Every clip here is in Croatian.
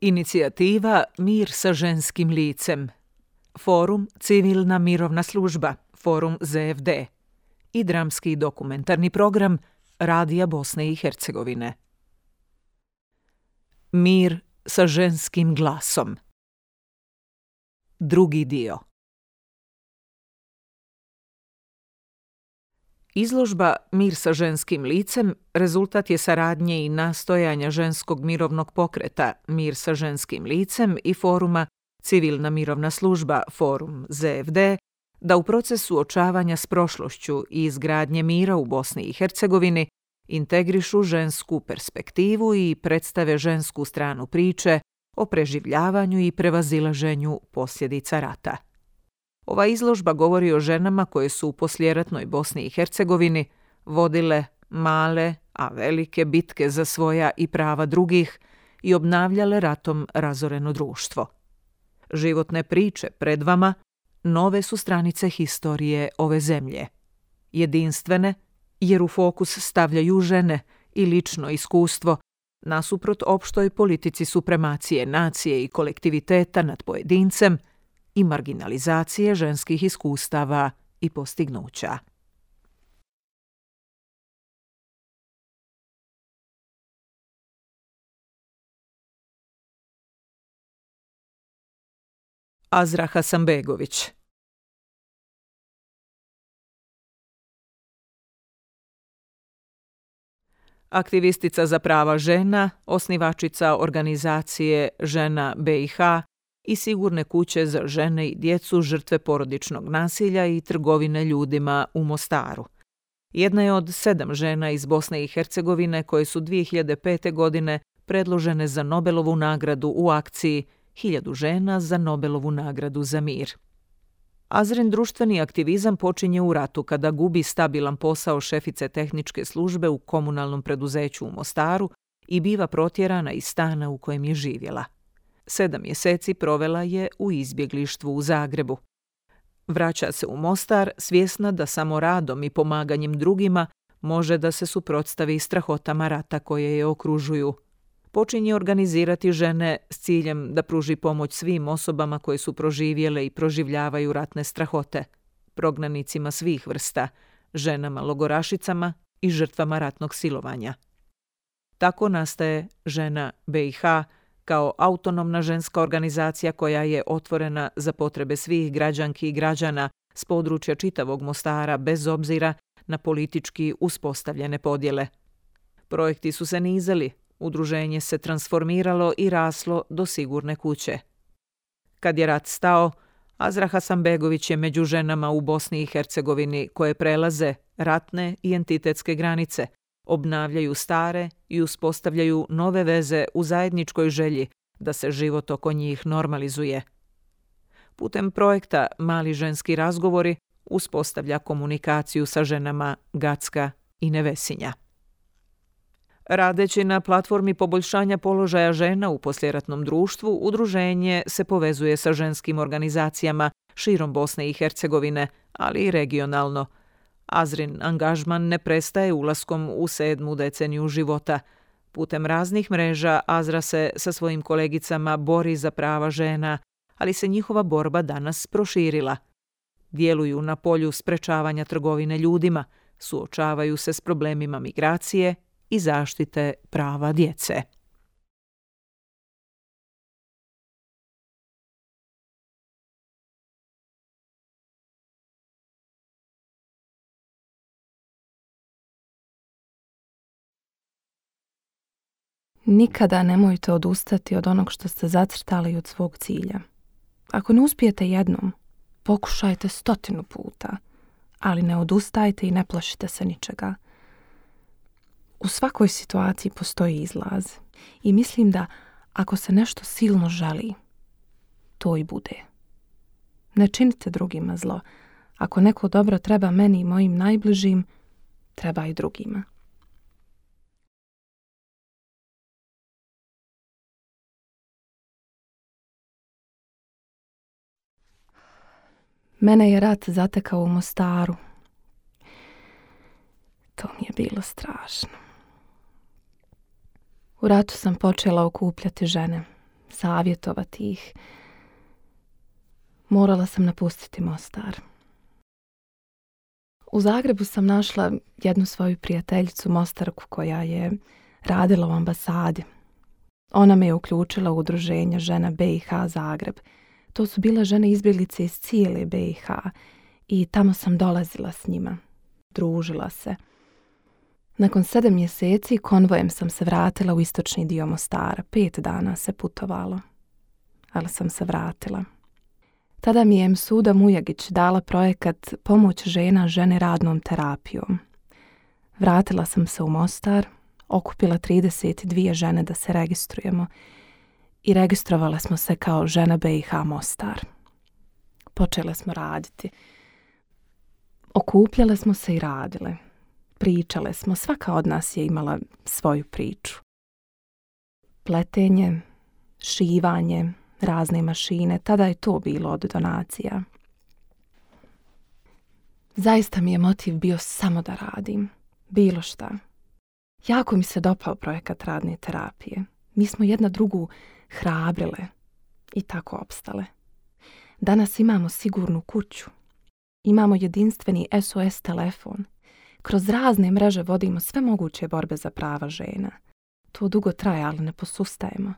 Inicijativa Mir sa ženskim licem, Forum Civilna mirovna služba, Forum ZFD i dramski dokumentarni program Radija Bosne i Hercegovine. Mir sa ženskim glasom. Drugi dio. Izložba Mir sa ženskim licem rezultat je saradnje i nastojanja ženskog mirovnog pokreta Mir sa ženskim licem i foruma Civilna mirovna služba, Forum ZFD, da u procesu suočavanja s prošlošću i izgradnje mira u Bosni i Hercegovini integrišu žensku perspektivu i predstave žensku stranu priče o preživljavanju i prevazilaženju posljedica rata. Ova izložba govori o ženama koje su u poslijeratnoj Bosni i Hercegovini vodile male, a velike bitke za svoja i prava drugih i obnavljale ratom razoreno društvo. Životne priče pred vama nove su stranice historije ove zemlje. Jedinstvene, jer u fokus stavljaju žene i lično iskustvo, nasuprot opštoj politici supremacije nacije i kolektiviteta nad pojedincem i marginalizacije ženskih iskustava i postignuća. Azra Hasanbegović. Aktivistica za prava žena, osnivačica organizacije Žena BiH i sigurne kuće za žene i djecu žrtve porodičnog nasilja i trgovine ljudima u Mostaru. Jedna je od 7 žena iz Bosne i Hercegovine koje su 2005. godine predložene za Nobelovu nagradu u akciji 1000 žena za Nobelovu nagradu za mir. Azrin društveni aktivizam počinje u ratu kada gubi stabilan posao šefice tehničke službe u komunalnom preduzeću u Mostaru i biva protjerana iz stana u kojem je živjela. 7 mjeseci provela je u izbjeglištvu u Zagrebu. Vraća se u Mostar svjesna da samo radom i pomaganjem drugima može da se suprotstavi strahotama rata koje je okružuju. Počinje organizirati žene s ciljem da pruži pomoć svim osobama koje su proživjele i proživljavaju ratne strahote, prognanicima svih vrsta, ženama logorašicama i žrtvama ratnog silovanja. Tako nastaje Žena BiH kao autonomna ženska organizacija koja je otvorena za potrebe svih građanki i građana s područja čitavog Mostara bez obzira na politički uspostavljene podjele. Projekti su se nizali, udruženje se transformiralo i raslo do sigurne kuće. Kad je rat stao, Azra Hasanbegović je među ženama u Bosni i Hercegovini koje prelaze ratne i entitetske granice, obnavljaju stare i uspostavljaju nove veze u zajedničkoj želji da se život oko njih normalizuje. Putem projekta Mali ženski razgovori uspostavlja komunikaciju sa ženama Gacka i Nevesinja. Radeći na platformi poboljšanja položaja žena u poslijeratnom društvu, udruženje se povezuje sa ženskim organizacijama širom Bosne i Hercegovine, ali i regionalno. Azrin angažman ne prestaje ulaskom u 7. deceniju života. Putem raznih mreža Azra se sa svojim kolegicama bori za prava žena, ali se njihova borba danas proširila. Djeluju na polju sprečavanja trgovine ljudima, suočavaju se s problemima migracije i zaštite prava djece. Nikada nemojte odustati od onog što ste zacrtali od svog cilja. Ako ne uspijete jednom, pokušajte 100 puta, ali ne odustajte i ne plašite se ničega. U svakoj situaciji postoji izlaz i mislim da ako se nešto silno želi, to i bude. Ne činite drugima zlo. Ako neko dobro treba meni i mojim najbližim, treba i drugima. Mene je rat zatekao u Mostaru. To mi je bilo strašno. U ratu sam počela okupljati žene. savjetovati ih. Morala sam napustiti Mostar. U Zagrebu sam našla jednu svoju prijateljicu Mostarku koja je radila u ambasadi. Ona me je uključila u udruženje Žena BiH Zagreb. To su bile žene izbjeglice iz cijele BiH i tamo sam dolazila s njima. Družila se. Nakon 7 mjeseci konvojem sam se vratila u istočni dio Mostara. 5 dana se putovalo. Ali sam se vratila. Tada mi je Msuda Mujagić dala projekat Pomoć žene radnom terapijom. Vratila sam se u Mostar, okupila 32 žene da se registrujemo i registrovale smo se kao Žena BiH Mostar. Počele smo raditi. Okupljale smo se i radile. Pričale smo, svaka od nas je imala svoju priču. Pletenje, šivanje, razne mašine, tada je to bilo od donacija. Zaista mi je motiv bio samo da radim, bilo šta. Jako mi se dopao projekat radne terapije. Mi smo jedna drugu hrabrile i tako opstale. Danas imamo sigurnu kuću. Imamo jedinstveni SOS telefon. Kroz razne mreže vodimo sve moguće borbe za prava žena. To dugo traje, ali ne posustajemo.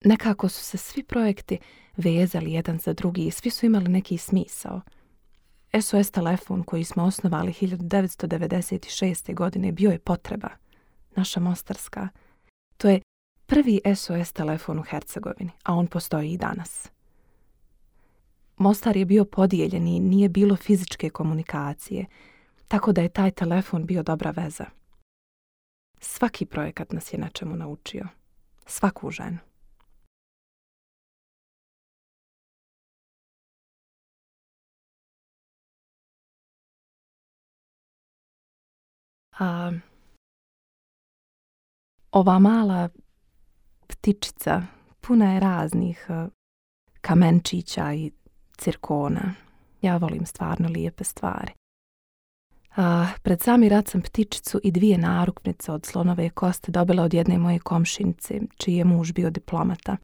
Nekako su se svi projekti vezali jedan za drugi i svi su imali neki smisao. SOS telefon koji smo osnovali 1996. godine bio je potreba. Naša mostarska. To je prvi SOS telefon u Hercegovini, a on postoji i danas. Mostar je bio podijeljen i nije bilo fizičke komunikacije, tako da je taj telefon bio dobra veza. Svaki projekat nas je nečemu naučio. Svaku ženu. A ova mala ptičica puna je raznih kamenčića i cirkona. Ja volim stvarno lijepe stvari. Pred sami rat sam ptičicu i 2 narukvice od slonove koste dobila od jedne moje komšinice, čiji je muž bio diplomata.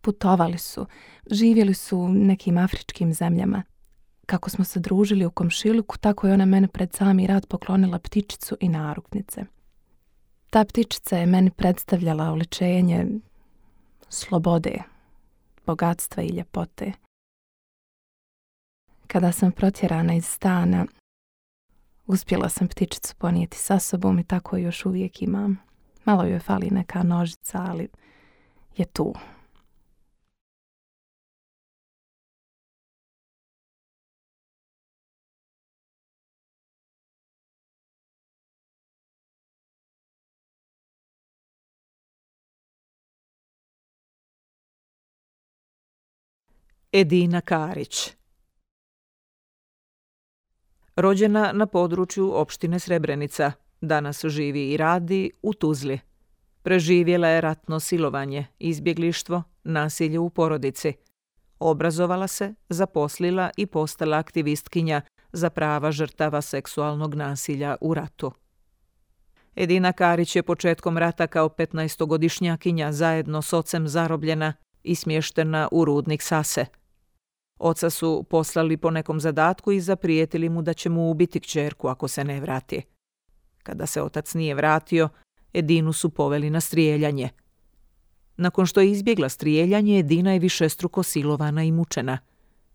Putovali su, živjeli su u nekim afričkim zemljama. Kako smo se družili u komšiluku, tako je ona mene pred sami rat poklonila ptičicu i narukvice. Ta ptičica je meni predstavljala oličenje slobode, bogatstva i ljepote. Kada sam protjerana iz stana, uspjela sam ptičicu ponijeti sa sobom i tako još uvijek imam. Malo joj fali neka nožica, ali je tu. Edina Karić. Rođena na području opštine Srebrenica, danas živi i radi u Tuzli. Preživjela je ratno silovanje, izbjeglištvo, nasilje u porodici. Obrazovala se, zaposlila i postala aktivistkinja za prava žrtava seksualnog nasilja u ratu. Edina Karić je početkom rata kao 15-godišnjakinja zajedno s ocem zarobljena i smještena u rudnik Sase. Oca su poslali po nekom zadatku i zaprijetili mu da će mu ubiti kćerku ako se ne vrati. Kada se otac nije vratio, Edinu su poveli na strijeljanje. Nakon što je izbjegla strijeljanje, Edina je višestruko silovana i mučena.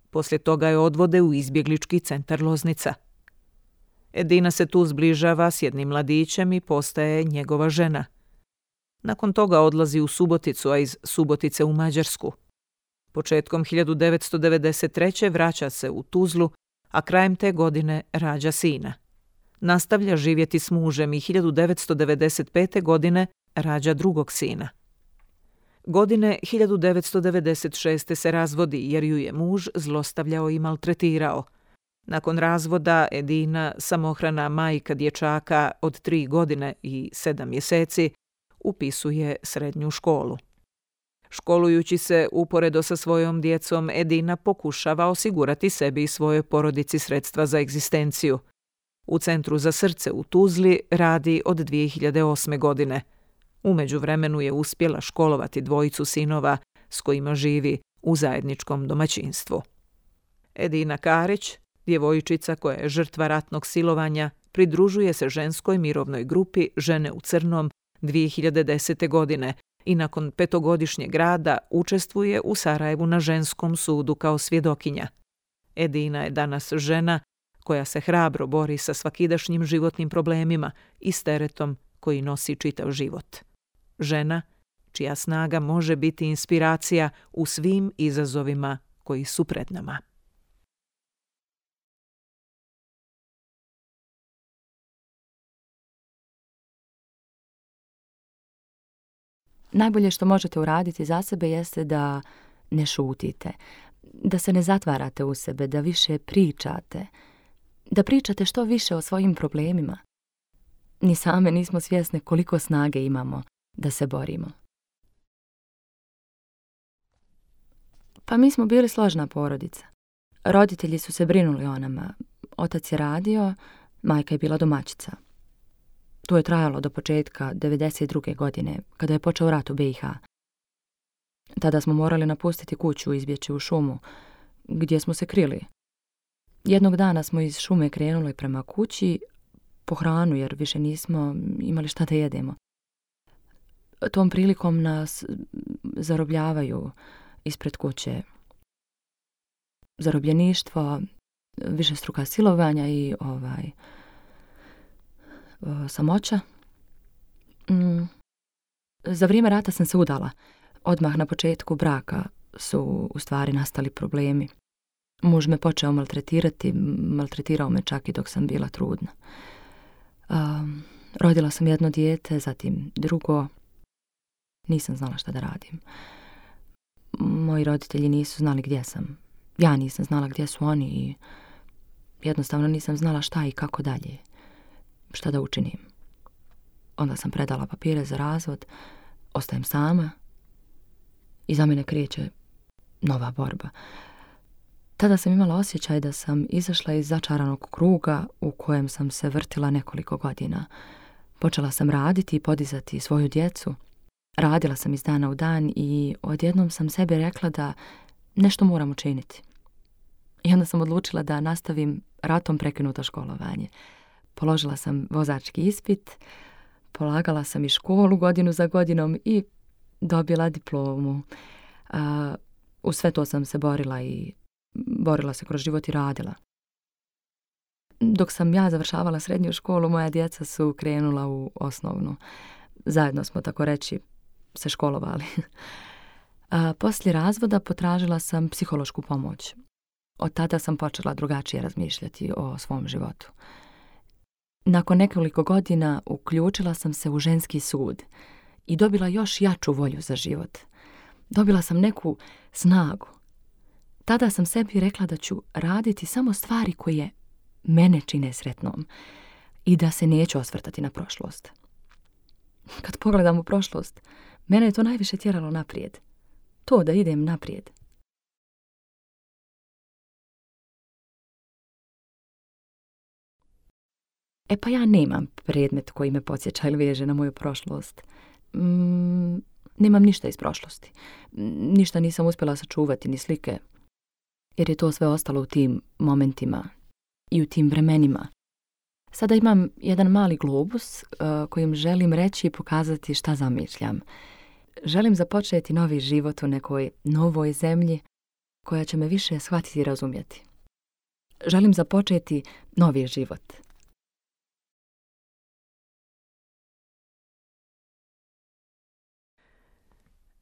Poslije toga je odvode u izbjeglički centar Loznica. Edina se tu zbližava s jednim mladićem i postaje njegova žena. Nakon toga odlazi u Suboticu, a iz Subotice u Mađarsku. Početkom 1993. vraća se u Tuzlu, a krajem te godine rađa sina. Nastavlja živjeti s mužem i 1995. godine rađa drugog sina. Godine 1996. se razvodi jer ju je muž zlostavljao i maltretirao. Nakon razvoda Edina, samohrana majka dječaka od 3 godine i 7 mjeseci, upisuje srednju školu. Školujući se uporedo sa svojom djecom, Edina pokušava osigurati sebi i svojoj porodici sredstva za egzistenciju. U Centru za srce u Tuzli radi od 2008. godine. U međuvremenu je uspjela školovati dvojicu sinova s kojima živi u zajedničkom domaćinstvu. Edina Karić, djevojčica koja je žrtva ratnog silovanja, pridružuje se ženskoj mirovnoj grupi Žene u crnom 2010. godine i nakon 5-godišnjeg rada učestvuje u Sarajevu na ženskom sudu kao svjedokinja. Edina je danas žena koja se hrabro bori sa svakidašnjim životnim problemima i s teretom koji nosi čitav život. Žena čija snaga može biti inspiracija u svim izazovima koji su pred nama. Najbolje što možete uraditi za sebe jeste da ne šutite, da se ne zatvarate u sebe, da više pričate, da pričate što više o svojim problemima. Ni same nismo svjesne koliko snage imamo da se borimo. Pa mi smo bili složna porodica. Roditelji su se brinuli o nama. Otac je radio, majka je bila domaćica. To je trajalo do početka 1992. godine, kada je počeo rat u BiH. Tada smo morali napustiti kuću i izbjeći u šumu, gdje smo se krili. Jednog dana smo iz šume krenuli prema kući po hranu, jer više nismo imali šta da jedemo. Tom prilikom nas zarobljavaju ispred kuće. Zarobljeništvo, višestruka silovanja i samoća. Za vrijeme rata sam se udala. Odmah na početku braka su u stvari nastali problemi. Muž me počeo maltretirati, maltretirao me čak i dok sam bila trudna. Rodila sam jedno dijete, zatim drugo. Nisam znala šta da radim. Moji roditelji nisu znali gdje sam. Ja nisam znala gdje su oni i jednostavno nisam znala šta i kako dalje. Šta da učinim. Onda sam predala papire za razvod, ostajem sama i za mene kreće nova borba. Tada sam imala osjećaj da sam izašla iz začaranog kruga u kojem sam se vrtila nekoliko godina. Počela sam raditi i podizati svoju djecu. Radila sam iz dana u dan i odjednom sam sebi rekla da nešto moram učiniti. I onda sam odlučila da nastavim ratom prekinuto školovanje. Položila sam vozački ispit, polagala sam i školu godinu za godinom i dobila diplomu. U sve to sam se borila se kroz život i radila. Dok sam ja završavala srednju školu, moja djeca su krenula u osnovnu. Zajedno smo, tako reći, se školovali. Poslije razvoda potražila sam psihološku pomoć. Od tada sam počela drugačije razmišljati o svom životu. Nakon nekoliko godina uključila sam se u ženski sud i dobila još jaču volju za život. Dobila sam neku snagu. Tada sam sebi rekla da ću raditi samo stvari koje mene čine sretnom i da se neću osvrtati na prošlost. Kad pogledam u prošlost, mene je to najviše tjeralo naprijed. To da idem naprijed. Pa ja nemam predmet koji me podsjeća ili veže na moju prošlost. Nemam ništa iz prošlosti. Ništa nisam uspjela sačuvati, ni slike. Jer je to sve ostalo u tim momentima i u tim vremenima. Sada imam jedan mali globus kojim želim reći i pokazati šta zamišljam. Želim započeti novi život u nekoj novoj zemlji koja će me više shvatiti i razumjeti. Želim započeti novi život.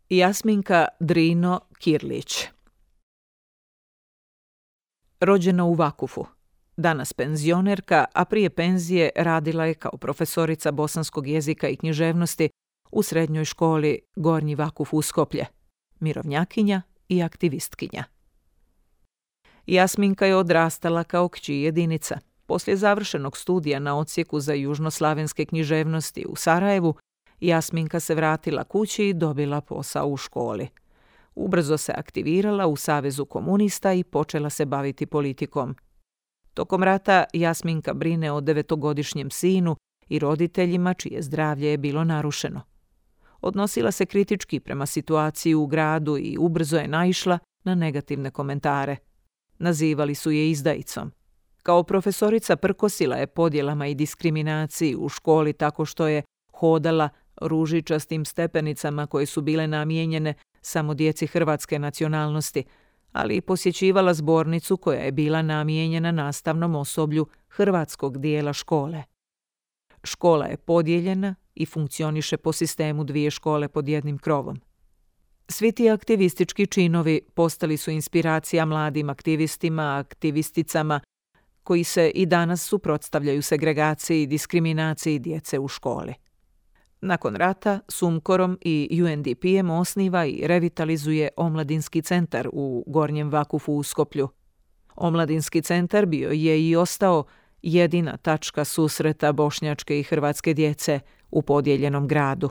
Jasminka Drino Kirlić. Rođena u Vakufu. Danas penzionerka, a prije penzije radila je kao profesorica bosanskog jezika i književnosti u srednjoj školi Gornji Vakuf u Skoplje, mirovnjakinja i aktivistkinja. Jasminka je odrastala kao kći jedinica. Poslije završenog studija na odsjeku za južnoslavenske književnosti u Sarajevu, Jasminka se vratila kući i dobila posao u školi. Ubrzo se aktivirala u Savezu komunista i počela se baviti politikom. Tokom rata Jasminka brine o 9-godišnjem sinu i roditeljima čije zdravlje je bilo narušeno. odnosila se kritički prema situaciji u gradu i ubrzo je naišla na negativne komentare. Nazivali su je izdajicom. Kao profesorica prkosila je podjelama i diskriminaciji u školi tako što je hodala ružičastim stepenicama koje su bile namijenjene samo djeci hrvatske nacionalnosti, ali i posjećivala zbornicu koja je bila namijenjena nastavnom osoblju hrvatskog dijela škole. Škola je podijeljena i funkcioniše po sistemu 2 škole pod jednim krovom. Svi ti aktivistički činovi postali su inspiracija mladim aktivistima, aktivisticama koji se i danas suprotstavljaju segregaciji i diskriminaciji djece u školi. Nakon rata Sumkorom i UNDP-em osniva i revitalizuje Omladinski centar u Gornjem Vakufu u Skoplju. Omladinski centar bio je i ostao jedina tačka susreta bošnjačke i hrvatske djece u podijeljenom gradu.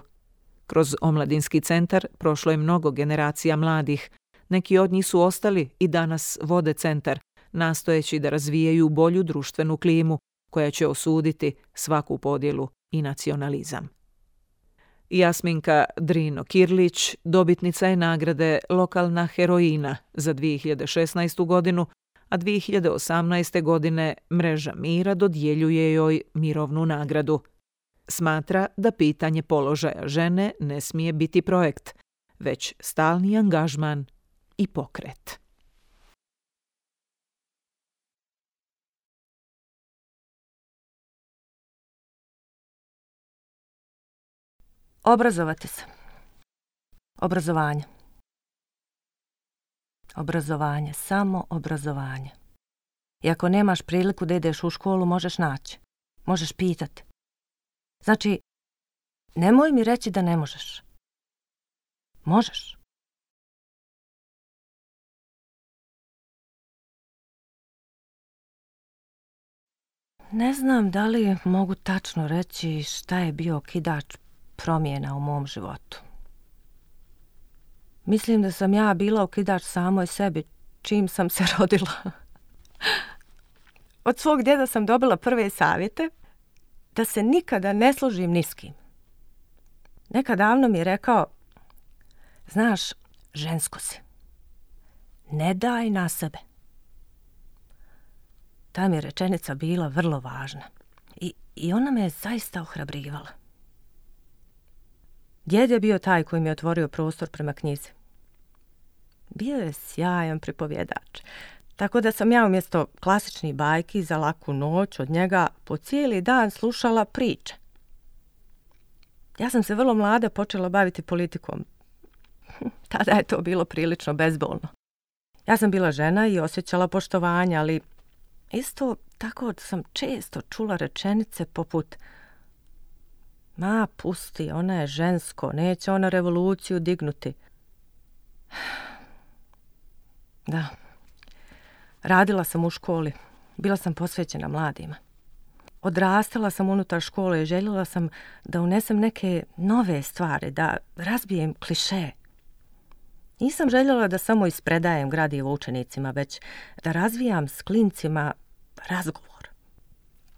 Kroz Omladinski centar prošlo je mnogo generacija mladih. Neki od njih su ostali i danas vode centar, nastojeći da razvijaju bolju društvenu klimu koja će osuditi svaku podjelu i nacionalizam. Jasminka Drino Kirlić dobitnica je nagrade Lokalna heroina za 2016. godinu, a 2018. godine Mreža mira dodjeljuje joj mirovnu nagradu. Smatra da pitanje položaja žene ne smije biti projekt, već stalni angažman i pokret. Obrazovati se. Obrazovanje. Obrazovanje, samo obrazovanje. I ako nemaš priliku da ideš u školu, možeš naći. Možeš pitati. Znači, nemoj mi reći da ne možeš. Možeš. Ne znam da li mogu tačno reći šta je bio okidač promjena u mom životu. Mislim da sam ja bila okidač samoj sebi čim sam se rodila. Od svog djeda sam dobila prve savjete da se nikada ne složim ni s kim. Nekad davno mi je rekao, znaš, žensko si. Ne daj na sebe. Ta mi je rečenica bila vrlo važna. I ona me je zaista ohrabrivala. Djed je bio taj koji mi je otvorio prostor prema knjizi. Bio je sjajan pripovjedač. Tako da sam ja umjesto klasičnih bajki za laku noć od njega po cijeli dan slušala priče. Ja sam se vrlo mlada počela baviti politikom. Tada je to bilo prilično bezbolno. Ja sam bila žena i osjećala poštovanje, ali isto tako sam često čula rečenice poput ma, pusti, ona je žensko, neće ona revoluciju dignuti. Da, radila sam u školi, bila sam posvećena mladima. Odrastala sam unutar škole i željela sam da unesem neke nove stvari, da razbijem kliše. Nisam željela da samo ispredajem gradivo učenicima, već da razvijam s klincima razgovor.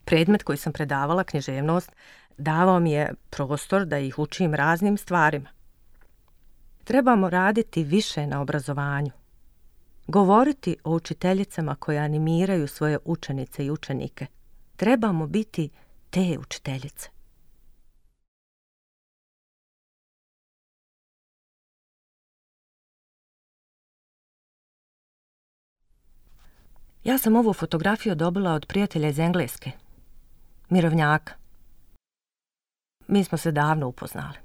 Predmet koji sam predavala, književnost, davao mi je prostor da ih učim raznim stvarima. Trebamo raditi više na obrazovanju. Govoriti o učiteljicama koje animiraju svoje učenice i učenike. Trebamo biti te učiteljice. Ja sam ovu fotografiju dobila od prijatelja iz Engleske, mirovnjaka. Mi smo se davno upoznali.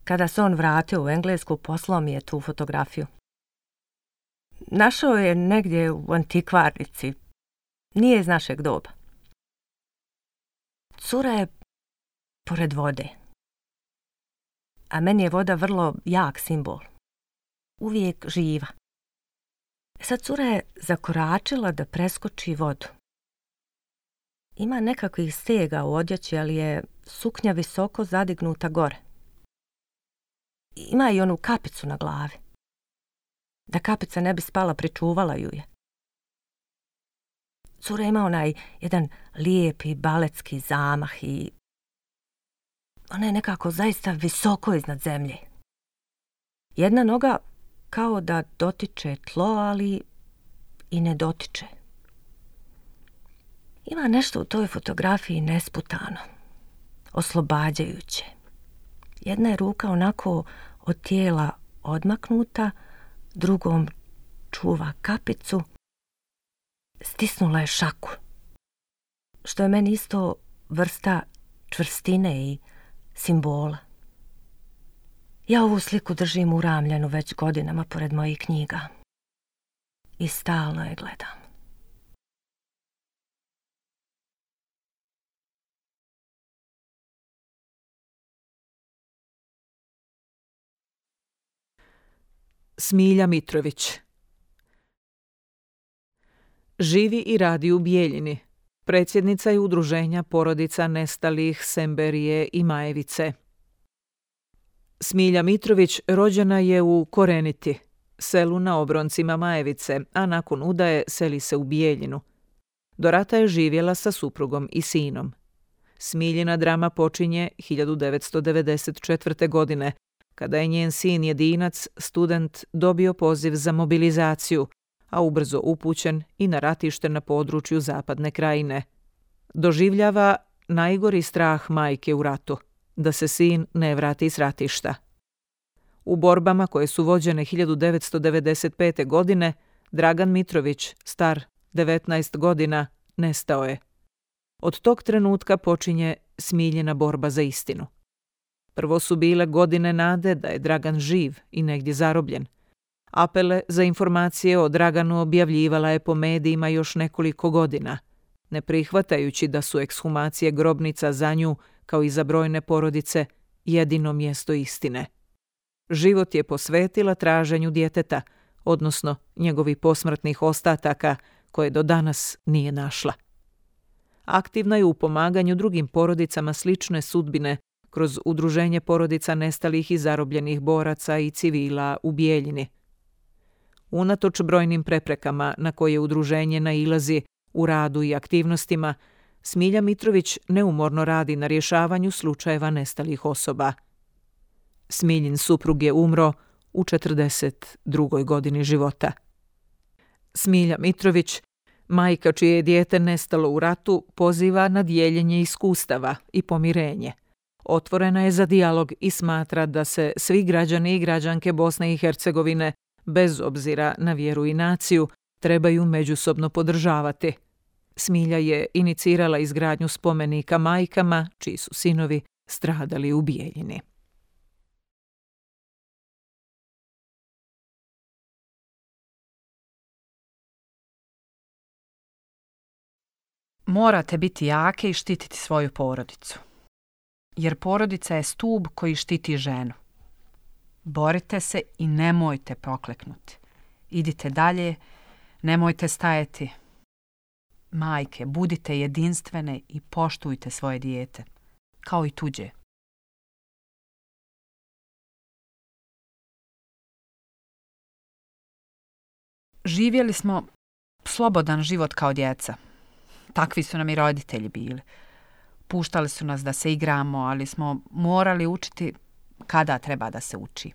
Kada se on vratio u Englesku, poslao mi je tu fotografiju. Našao je negdje u antikvarnici. Nije iz našeg doba. Cura je pored vode. A meni je voda vrlo jak simbol. Uvijek živa. Sad cura je zakoračila da preskoči vodu. Ima nekakvih stega u odjeći, ali je suknja visoko zadignuta gore. Ima i onu kapicu na glavi. Da kapica ne bi spala, pričuvala ju je. Cura ima onaj jedan lijepi baletski zamah i ona je nekako zaista visoko iznad zemlje. Jedna noga kao da dotiče tlo, ali i ne dotiče. Ima nešto u toj fotografiji nesputano, oslobađajuće. Jedna je ruka onako od tijela odmaknuta, drugom čuva kapicu, stisnula je šaku, što je meni isto vrsta čvrstine i simbola. Ja ovu sliku držim uramljenu već godinama pored mojih knjiga i stalno je gledam. Smilja Mitrović. Živi i radi u Bijeljini. Predsjednica je udruženja porodica nestalih Semberije i Majevice. Smilja Mitrović rođena je u Koreniti, selu na obroncima Majevice, a nakon udaje seli se u Bijeljinu. Do rata je živjela sa suprugom i sinom. Smiljina drama počinje 1994. godine, kada je njen sin Jedinac, student, dobio poziv za mobilizaciju, a ubrzo upućen i na ratište na području Zapadne Krajine. Doživljava najgori strah majke u ratu, da se sin ne vrati s ratišta. U borbama koje su vođene 1995. godine, Dragan Mitrović, star 19 godina, nestao je. Od tog trenutka počinje Smiljina borba za istinu. Prvo su bile godine nade da je Dragan živ i negdje zarobljen. Apele za informacije o Draganu objavljivala je po medijima još nekoliko godina, ne prihvatajući da su ekshumacije grobnica za nju, kao i za brojne porodice, jedino mjesto istine. Život je posvetila traženju djeteta, odnosno njegovih posmrtnih ostataka, koje do danas nije našla. Aktivna je u pomaganju drugim porodicama slične sudbine kroz udruženje porodica nestalih i zarobljenih boraca i civila u Bijeljini. Unatoč brojnim preprekama na koje udruženje nailazi u radu i aktivnostima, Smilja Mitrović neumorno radi na rješavanju slučajeva nestalih osoba. Smiljin suprug je umro u 42. godini života. Smilja Mitrović, majka čije je dijete nestalo u ratu, poziva na dijeljenje iskustava i pomirenje. Otvorena je za dijalog i smatra da se svi građani i građanke Bosne i Hercegovine, bez obzira na vjeru i naciju, trebaju međusobno podržavati. Smilja je inicirala izgradnju spomenika majkama, čiji su sinovi stradali u Bijeljini. Morate biti jake i štititi svoju porodicu. Jer porodica je stup koji štiti ženu. Borite se i nemojte pokleknuti. Idite dalje, nemojte stajati. Majke, budite jedinstvene i poštujte svoje dijete, kao i tuđe. Živjeli smo slobodan život kao djeca. Takvi su nam i roditelji bili. Puštali su nas da se igramo, ali smo morali učiti kada treba da se uči.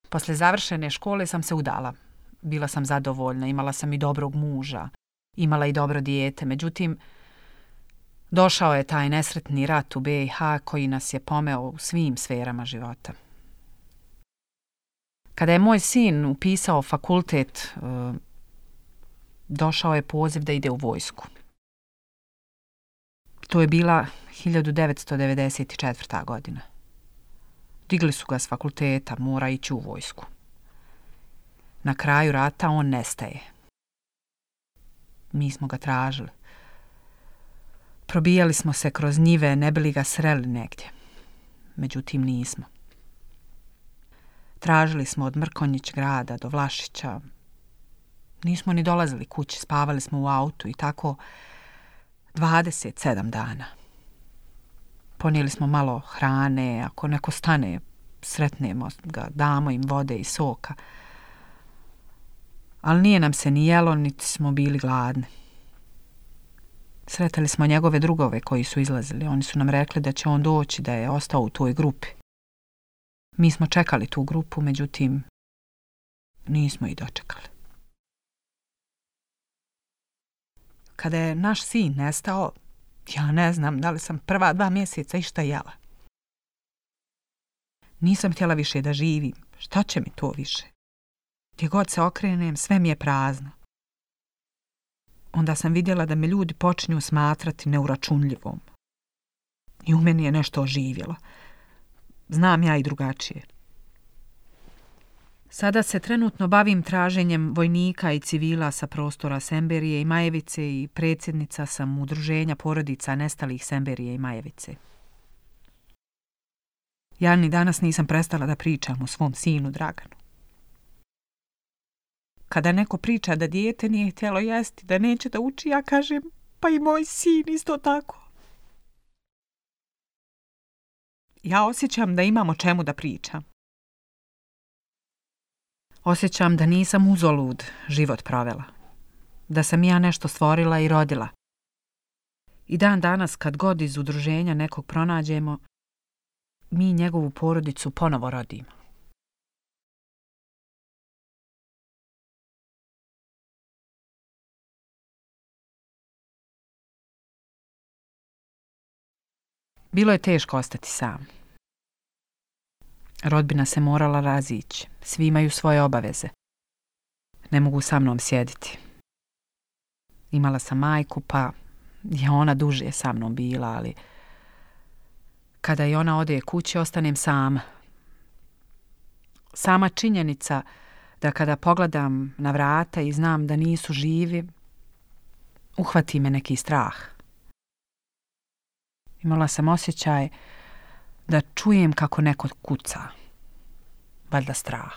Poslije završene škole sam se udala. Bila sam zadovoljna, imala sam i dobrog muža, imala i dobro dijete. Međutim, došao je taj nesretni rat u BiH koji nas je pomeo u svim sferama života. Kada je moj sin upisao fakultet, došao je poziv da ide u vojsku. To je bila 1994. godina. Digli su ga s fakulteta, mora ići u vojsku. Na kraju rata on nestaje. Mi smo ga tražili. Probijali smo se kroz njive, ne bili ga sreli negdje. Međutim, nismo. Tražili smo od Mrkonjić grada do Vlašića. Nismo ni dolazili kući, spavali smo u autu i tako 27 dana. Ponijeli smo malo hrane, ako neko stane, sretnemo ga, damo im vode i soka. Ali nije nam se ni jelo, niti smo bili gladni. Sretali smo njegove drugove koji su izlazili. Oni su nam rekli da će on doći, da je ostao u toj grupi. Mi smo čekali tu grupu, međutim, nismo ih dočekali. Kada je naš sin nestao, ja ne znam da li sam prva 2 mjeseca išta jela. Nisam htjela više da živim. Šta će mi to više? Gdje god se okrenem, sve mi je prazno. Onda sam vidjela da me ljudi počinju smatrati neuračunljivom. I u meni je nešto oživjelo. Znam ja i drugačije. Sada se trenutno bavim traženjem vojnika i civila sa prostora Semberije i Majevice i predsjednica sam udruženja porodica nestalih Semberije i Majevice. Ja ni danas nisam prestala da pričam o svom sinu Draganu. Kada neko priča da dijete nije htjelo jesti, da neće da uči, ja kažem, pa i moj sin isto tako. Ja osjećam da imam o čemu da pričam. Osjećam da nisam uzalud život provela. Da sam ja nešto stvorila i rodila. I dan danas kad god iz udruženja nekog pronađemo, mi njegovu porodicu ponovo rodimo. Bilo je teško ostati sam. Rodbina se morala razići. Svi imaju svoje obaveze. Ne mogu sa mnom sjediti. Imala sam majku, pa je ona duže sa mnom bila, ali kada i ona ode kući, ostanem sama. Sama činjenica da kada pogledam na vrata i znam da nisu živi, uhvati me neki strah. Imala sam osjećaj da čujem kako neko kuca. Valjda strah.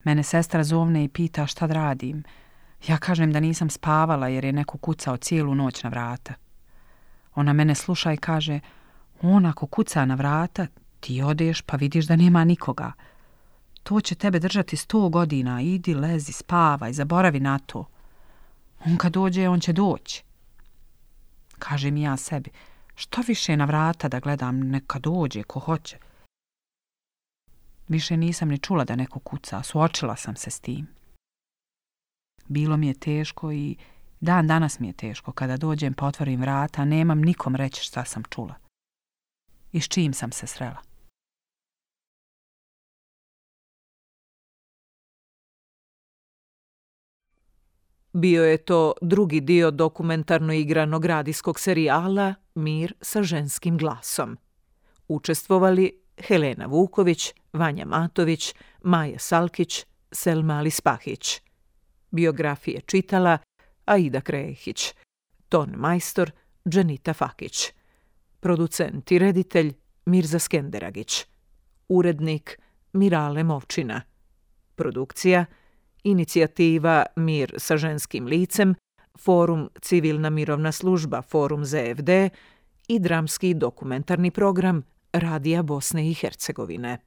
Mene sestra zovne i pita šta da radim. Ja kažem da nisam spavala jer je neko kucao cijelu noć na vrata. Ona mene sluša i kaže, on ako kuca na vrata, ti odeš pa vidiš da nema nikoga. To će tebe držati 100 godina, idi, lezi, spavaj, zaboravi na to. On kad dođe, on će doći. Kažem ja sebi, što više na vrata da gledam, neka dođe ko hoće. Više nisam ni čula da neko kuca, suočila sam se s tim. Bilo mi je teško i dan danas mi je teško kada dođem pa otvorim vrata, nemam nikom reći šta sam čula. I s čim sam se srela. Bio je to drugi dio dokumentarno igranog radijskog serijala Mir sa ženskim glasom. Učestvovali Helena Vuković, Vanja Matović, Maja Salkić, Selma Alispahić. Biografije čitala Aida Krejić, ton majstor Dženita Fakić, producent i reditelj Mirza Skenderagić, urednik Mirale Movčina, produkcija Inicijativa Mir sa ženskim licem, Forum Civilna mirovna služba, Forum ZFD i dramski dokumentarni program Radija Bosne i Hercegovine.